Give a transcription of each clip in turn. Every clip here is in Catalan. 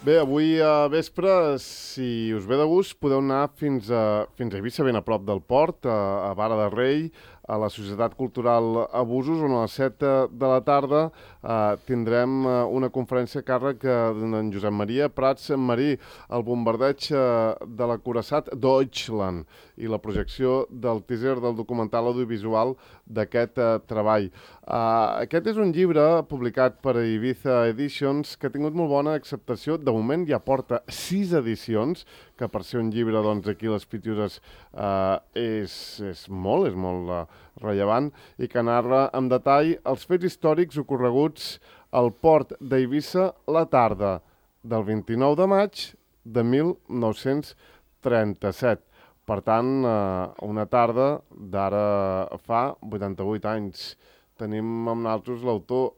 Bé, avui a vespre, si us ve de gust, podeu anar fins a Eivissa, ben a prop del port, a Vara de Rei, a la Societat Cultural Abusos, on a les 7 de la tarda tindrem una conferència a càrrec d'en Josep Maria Prats Marí, el bombardeig de l'acuirassat Deutschland i la projecció del teaser del documental audiovisual d'aquest treball. Aquest és un llibre publicat per Ibiza Editions que ha tingut molt bona acceptació. De moment ja porta 6 edicions, que per ser un llibre, doncs, aquí a les Pitiuses és molt rellevant, i que narra amb detall els fets històrics ocorreguts al port d'Eivissa la tarda del 29 de maig de 1937. Per tant, una tarda d'ara fa 88 anys. Tenim amb nosaltres l'autor,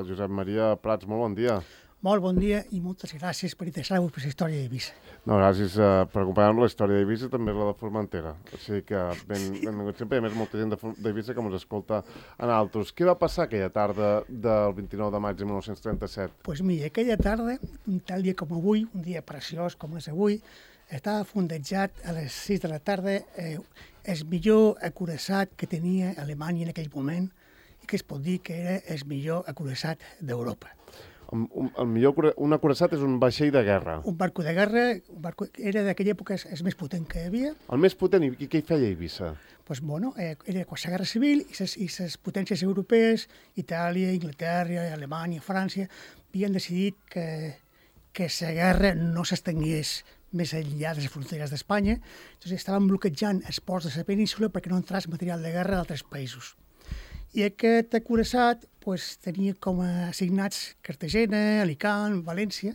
Josep Maria Prats. Molt bon dia. Molt bon dia i moltes gràcies per interessar-vos per la història d'Eivissa. No, gràcies per acompanyar-nos. La història d'Eivissa també és la de Formentera. O sigui que benvingut sempre. A més, molta gent d'Eivissa que ens escolta a nosaltres. Què va passar aquella tarda del 29 de maig de 1937? Doncs mira, aquella tarda, un tal dia com avui, un dia preciós com és avui, estava fondejat a les 6 de la tarda el millor acuirassat que tenia Alemanya en aquell moment i que es pot dir que era el millor acuirassat d'Europa. Un acuirassat és un vaixell de guerra. Un barco de guerra, era d'aquella època el més potent que hi havia. El més potent, i què hi feia a Eivissa? Doncs, bueno, era la guerra civil i les potències europees, Itàlia, Anglaterra, Alemanya, França, havien decidit que la guerra no s'estengués més enllà de les fronteres d'Espanya. Llavors estaven bloquejant els ports de la península perquè no entrés material de guerra d'altres països. I aquest acuirassat tenia com a assignats Cartagena, Alicant, València,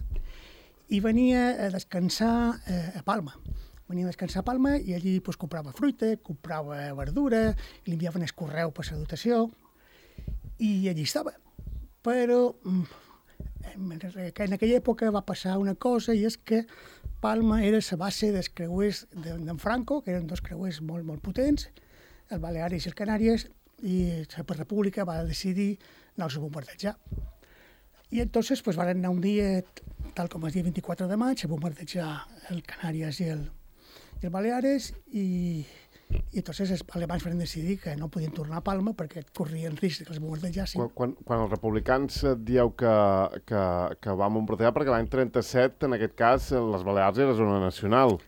i venia a descansar a Palma. Venia a descansar a Palma i allí comprava fruita, comprava verdura, i li enviaven el correu per la dotació, i allí estava. Però en aquella època va passar una cosa, i és que Palma era la base dels creuers d'en Franco, que eren dos creuers molt, molt potents, el Baleares i el Canàries, i la República va decidir anar-los a bombardejar. I entonces van anar un dia, tal com el dia 24 de maig, a bombardejar el Canàries i el Baleares, i entonces els alemanys van decidir que no podien tornar a Palma perquè corrien risc que els bombardejassin. Quan els republicans dieu que van bombardejar, perquè l'any 37, en aquest cas, les Balears era zona nacional.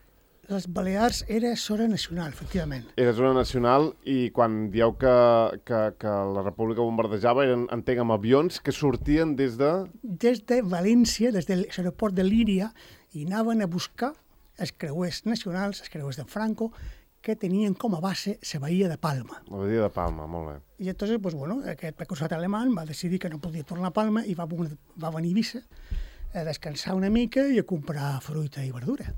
Les Balears era zona nacional, efectivament. Era zona nacional, i quan dieu que la República bombardejava, entenc, amb avions que sortien des de... Des de València, des de l'aeroport de Líria, i anaven a buscar els creuers nacionals, els creuers de Franco, que tenien com a base la bahia de Palma. La bahia de Palma, molt bé. I entonces, aquest precursor alemany va decidir que no podia tornar a Palma i va venir a Eivissa a descansar una mica i a comprar fruita i verdura.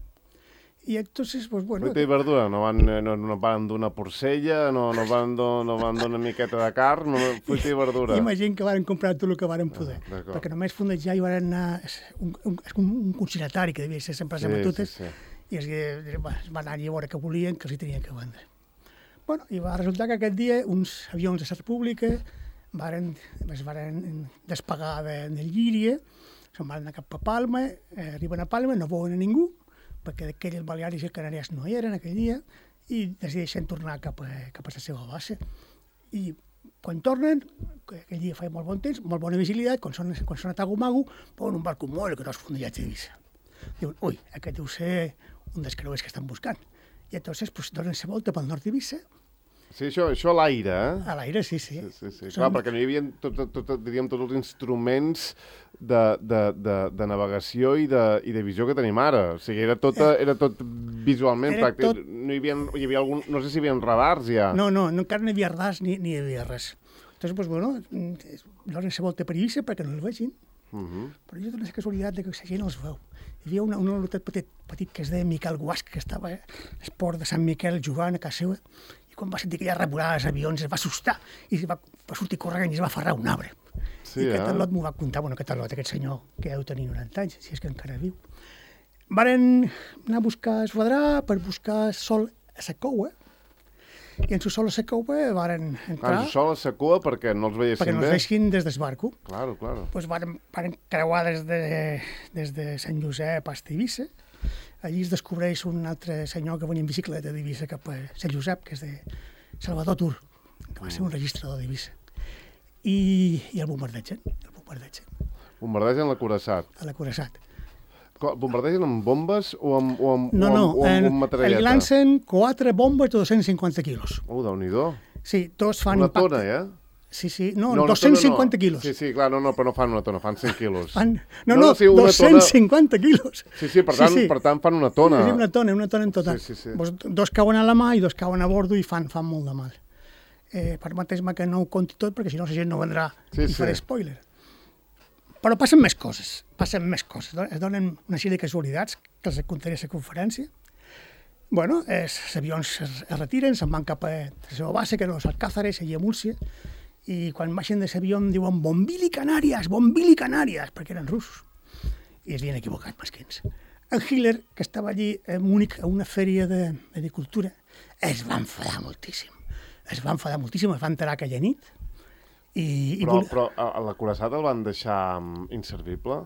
I entonces, fruita i verdura, no van donar porcella, no van donar una miqueta de carn, fruita i verdura. Imagina que van comprar tot el que van poder, perquè només fondejar i van anar un consignatari que devia ser sempre a Matutes, i es van anar a veure què volien, que els hi tenien que vendre. I va resultar que aquest dia uns avions de la República es van despegar del Llíria, se'n van anar cap a Palma, arriben a Palma, no veuen a ningú, perquè d'aquelles Baleares i Canàries no hi eren aquell dia, i decideixen tornar cap a la seva base. I quan tornen, aquell dia feia molt bon temps, molt bona visibilitat, quan són a Tagomago, veuen un barco molt gros fondejat d'Eivissa. Diuen, ui, aquest deu ser un dels creuers que estan buscant. I entonces donen la volta pel nord d'Eivissa. Sí, això a l'aire, eh? A l'aire, sí. Clar, perquè no hi havia tots els instruments de navegació i de visió que tenim ara. O sigui, era tot visualment pràctic. No hi havia algun... No sé si hi havia radars ja. No, encara no hi havia radars ni hi havia res. Entonces, donen la volta per Eivissa perquè no el vegin. Però jo dono la casualitat que la gent els veu. Hi havia un lotet petit que es deia Miquel Guasc, que estava al port de Sant Miquel jugant a casa seva, i quan va sentir aquella revolada dels avions es va assustar i va sortir corrent i es va aferrar a un arbre. I aquest al·lot m'ho va contar, aquest al·lot, aquest senyor que deu tenir 90 anys, si és que encara viu. Varen anar a buscar esfadrar per buscar sol a la coua i en Susol a la cova varen entrar... En Susol a la cua perquè no els veiessin bé? Perquè no els deixin des del barco. Claro. Pues varen creuar des de Sant Josep a Eivissa. Allí es descobreix un altre senyor que venia en bicicleta d'Eivissa cap a Sant Josep, que és de Salvador Tur, que va ser un registrador d'Eivissa. I el bombardegen. Bombardegen l'acoraçat. A l'acoraçat. Bombardegen amb bombes o amb materialeta? El lancen 4 bombes de 250 quilos. Déu-n'hi-do. Sí, tots fan una impacte. Una tona, Sí, no 250 quilos. Sí, clar, no, però no fan una tona, fan 100 quilos. No, 250 quilos. Sí, per tant fan una tona. Sí, una tona en total. Sí. Dos cauen a la mà i dos cauen a bordo i fan molt de mal. Permeteu-me que no ho conti tot, perquè si no la gent no vendrà i faré spoiler. Però passen més coses. Es donen una sèrie de casualitats que els contaré a la conferència. Bueno, els avions es retiren, se'n van cap a la seva base, que eren els Alcázares, allà a Múrcia, i quan baixen de l'avió em diuen Bombili Canàries, perquè eren russos. I es havien equivocat, mesquins. En Hitler, que estava allí a Múnich a una fèria d'agricultura, es va enfadar moltíssim. Es va enterar aquella nit. Però l'acoraçat el van deixar inservible?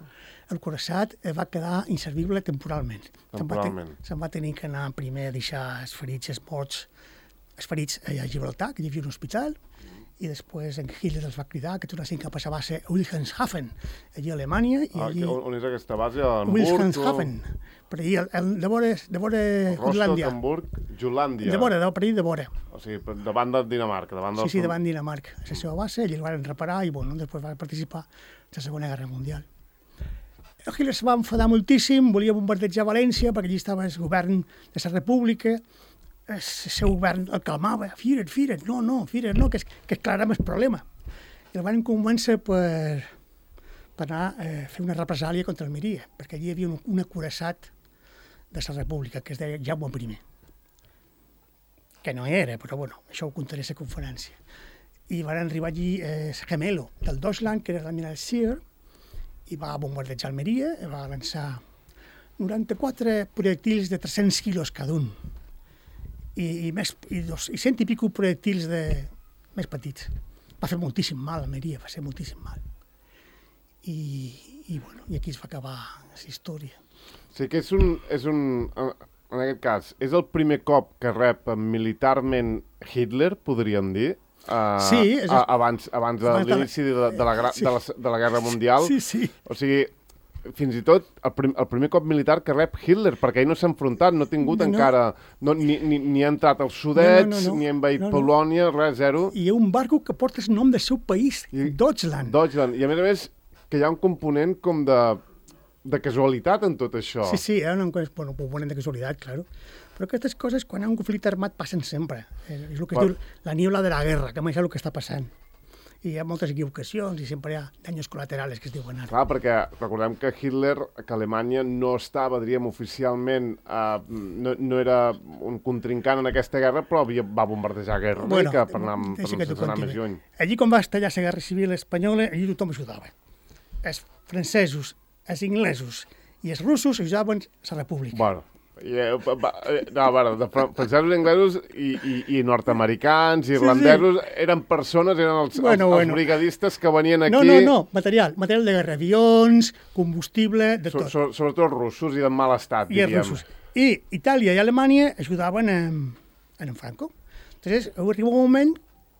El coraçat va quedar inservible temporalment. Se'n va tenir que anar primer a deixar els ferits a Gibraltar, que hi havia un hospital, i després en Hitler els va cridar que tornessin cap a la base Wilhelmshaven, allà a Alemanya. On és aquesta base? Wilhelmshaven, per allà, de vora Jutlàndia. Jutlàndia. De vora. O sigui, davant de Dinamarca. Sí, davant de Dinamarca. A la seva base, allà el van reparar i després va participar en la Segona Guerra Mundial. Hitler se va enfadar moltíssim, volia bombardejar València, perquè allí estava el govern de la República, el seu govern el calmava, Führer, no, que aclarem el problema. I el van convèncer per anar a fer una represàlia contra Almeria, perquè allí hi havia un acoraçat de la República, que es deia Jaume I. Que no era, però bueno, això ho contaré a la conferència. I van arribar allí el gemelo del Deutschland, que era l'almirall Scheer, i va bombardejar Almeria, i va lançar 94 projectils de 300 quilos cada un. I 100 i pico projectils més petits. Va fer moltíssim mal a Almeria, va ser moltíssim mal. I aquí es va acabar la història. Sí que en aquest cas, és el primer cop que rep militarment Hitler, podríem dir? Sí. Abans de l'inici de la Guerra Mundial. Sí. O sigui, fins i tot el primer cop militar que rep Hitler, perquè ell no s'ha enfrontat, no ha tingut encara... Ni ha entrat als Sudets, ni ha envaït Polònia, res, zero. I hi ha un barco que porta el nom del seu país, Deutschland. I a més, que hi ha un component com de casualitat en tot això. Sí, hi ha un component de casualitat, claro. Però aquestes coses, quan hi ha un conflicte armat, passen sempre. És el que es diu la niebla de la guerra, que és el que està passant. I hi ha moltes equivocacions i sempre hi ha danys col·laterals, que es diuen ara. Clar, perquè recordem que Hitler, que Alemanya no estava, diríem, oficialment, no era un contrincant en aquesta guerra, però va bombardejar guerra per anar més lluny. Allí, quan va estallar la Guerra Civil Espanyola, allí tothom ajudava. Els francesos, els inglesos i els russos ajudaven la República. Bueno, francesos, inglesos i nord-americans, irlandesos, eren persones, eren els brigadistes que venien aquí... No, material de guerra, avions, combustible, de tot. Sobretot els russos i de mal estat, diríem. I Itàlia i Alemanya ajudaven en Franco. Entonces, arriba un moment...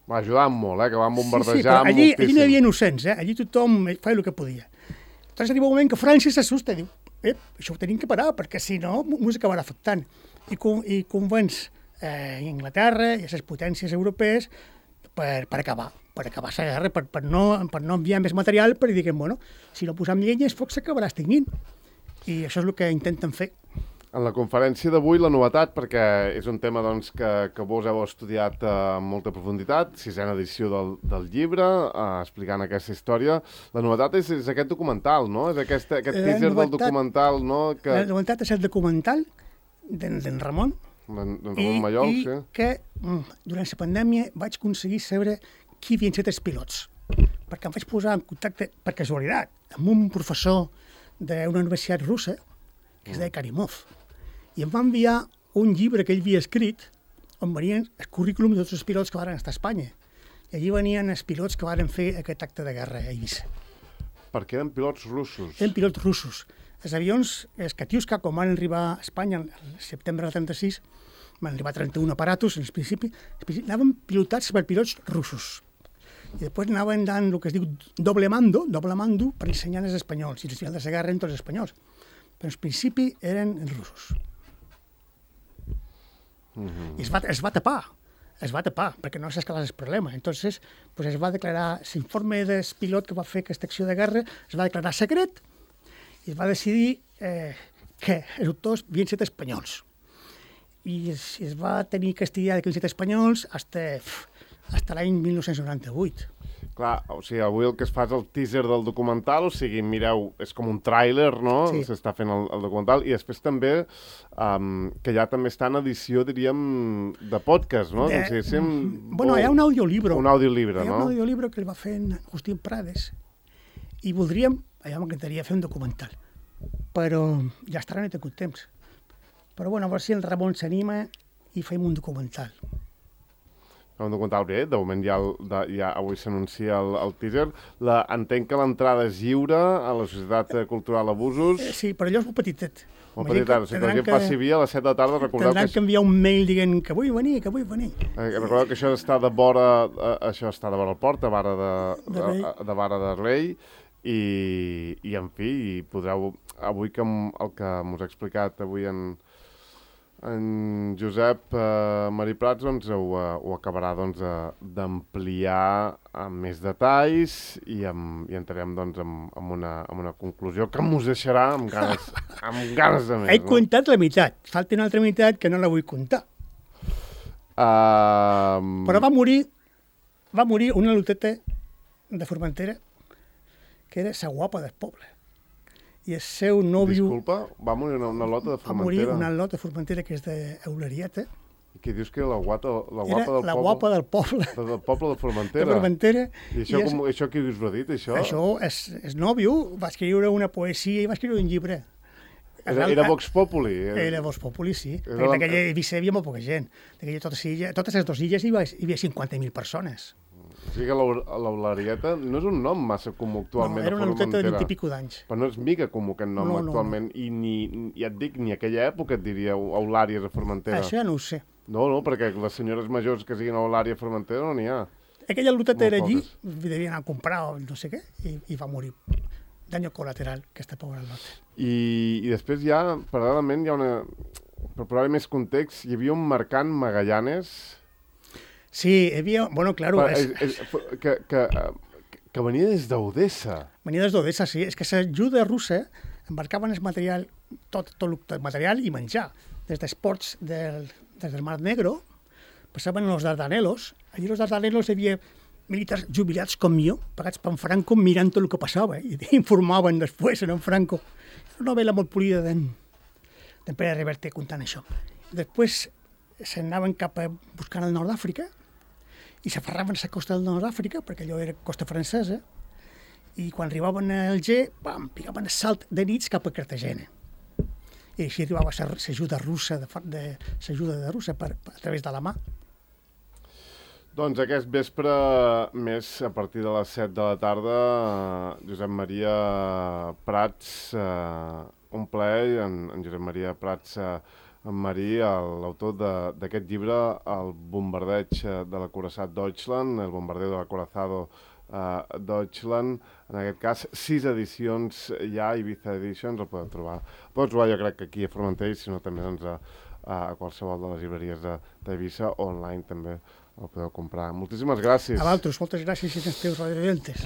Va ajudar molt, que van bombardejar moltíssim. Allí no hi havia innocents, allí tothom feia el que podia. Entonces arriba un moment que França s'assusta i diu això ho tenim que parar, perquè si no ens acabarà afectant. I convenç Anglaterra i les potències europees per acabar la guerra, per no enviar més material, per dir que, si no posem llenya, el foc s'acabarà extingint. I això és el que intenten fer. En la conferència d'avui, la novetat, perquè és un tema que vos heu estudiat amb molta profunditat, 6a edició del llibre, explicant aquesta història, la novetat és aquest documental, no? És aquest teaser del documental, no? La novetat és el documental d'en Ramon. D'en Ramon Mallol, sí. I que durant la pandèmia vaig aconseguir saber qui havien estat els pilots, perquè em vaig posar en contacte, per casualitat, amb un professor d'una universitat russa, que es deia Karimov, i em va enviar un llibre que ell havia escrit, on venien el currículum de tots els pilots que van estar a Espanya. I allí venien els pilots que van fer aquest acte de guerra a Eivissa. Perquè eren pilots russos. Eren pilots russos. Els avions, els Katiuska, quan van arribar a Espanya el setembre del 36, van arribar 31 aparatos, en principi anaven pilotats per pilots russos. I després anaven dant el que es diu doble mando per ensenyar als espanyols. I al final de la guerra eren tots els espanyols. Però en principi eren els russos. I es va tapar, perquè no s'escalar el problema. Entonces, pues es va declarar, l'informe del pilot que va fer aquesta acció de guerra es va declarar secret i es va decidir que els autors havien estat espanyols. I es va tenir que estudiar que havien estat espanyols fins l'any 1998. Clar, o sigui, avui el que es fa és el teaser del documental, o sigui, mireu, és com un tràiler, no? Sí. S'està fent el documental, i després també, que ja també està en edició, diríem, de podcast, no? Bueno, hi ha un audiolibro. Un audiolibro, no? Hi ha un audiolibro que el va fer en Agustín Prades, i voldríem, allà m'encantaria fer un documental, però ja estarà, no he tingut temps. Però bueno, a veure si el Ramon s'anima i fem un documental. Un documental bé, de moment ja avui s'anuncia el teaser. Entenc que l'entrada és lliure a la Societat Cultural Abusos. Sí, però allò és molt petitet. Molt petitet, o sigui, que la gent passi via a les 7 de la tarda, recordeu que... Tindran que enviar un mail dient que vull venir. Recordeu que això està de vora el port, de Vara de Rei, i en fi, podreu, avui que el que m'us ha explicat avui en Josep Marí Prats doncs, ho acabarà doncs, d'ampliar amb més detalls i entrarem doncs, amb una conclusió que mos deixarà amb ganes de més. He contat la meitat, falta una altra meitat que no la vull contar. Però va morir una loteta de Formentera que era la guapa del poble. I el seu nòvio... Disculpa, va morir una lota de Formentera? Va morir una lota de Formentera que és d'Eulerieta. I què dius que era la guapa del poble? Era la guapa del poble. Del poble de Formentera? De Formentera. I això qui us ho ha dit, això? Això, el nòvio va escriure una poesia i va escriure un llibre. Era Vox Populi? Era Vox Populi, sí. Perquè d'aquella Eivissa hi havia molt poca gent. Totes les dues illes hi havia 50.000 persones. O sigui que l'Eulerieta no és un nom massa comú actualment. No, era una loteta de 20 i pico d'anys. Però no és mica comú aquest nom actualment. I ja et dic, ni a aquella època et diria Eulàries a Formentera. Això ja no ho sé. No, perquè les senyores majors que siguin Eulària a Formentera no n'hi ha. Aquella loteta era allí, devien anar a comprar o no sé què, i va morir. Daño colateral, aquesta pobra lota. I després ja, paral·lelament, hi ha una... Per posar-hi més context, hi havia un mercant Magallanes... Sí, hi havia... Bueno, claro... Que venia des d'Odessa. Venia des d'Odessa, sí. És que l'ajuda russa embarcaven el material, tot el material i menjar. Des dels ports des del Mar Negro, passaven als Dardanelos. Allí als Dardanelos hi havia militars jubilats com jo, pagats per en Franco, mirant tot el que passava, i informaven després en Franco. Una novel·la molt polida d'en Pere Reverte contant això. Després s'anaven cap a buscar el nord d'Àfrica, i s'aferraven a la costa del nord d'Àfrica, perquè allò era costa francesa, i quan arribaven a Alger, picaven el salt de nits cap a Cartagena. I així arribava l'ajuda russa, a través de la mà. Doncs aquest vespre, més a partir de les 7 de la tarda, Josep Maria Prats, un plaer, en Josep Maria Prats, en Marí, l'autor d'aquest llibre, El bombardeig de l'acoraçat Deutschland, El bombardeo de l'acorazado Deutschland, en aquest cas 6 edicions ja, Ibiza Editions, el podeu trobar. El podeu trobar jo crec que aquí a Formentera, sinó també doncs, a qualsevol de les llibreries d'Eivissa, online també el podeu comprar. Moltíssimes gràcies. A vosaltres, moltes gràcies i els teus radiovidentes.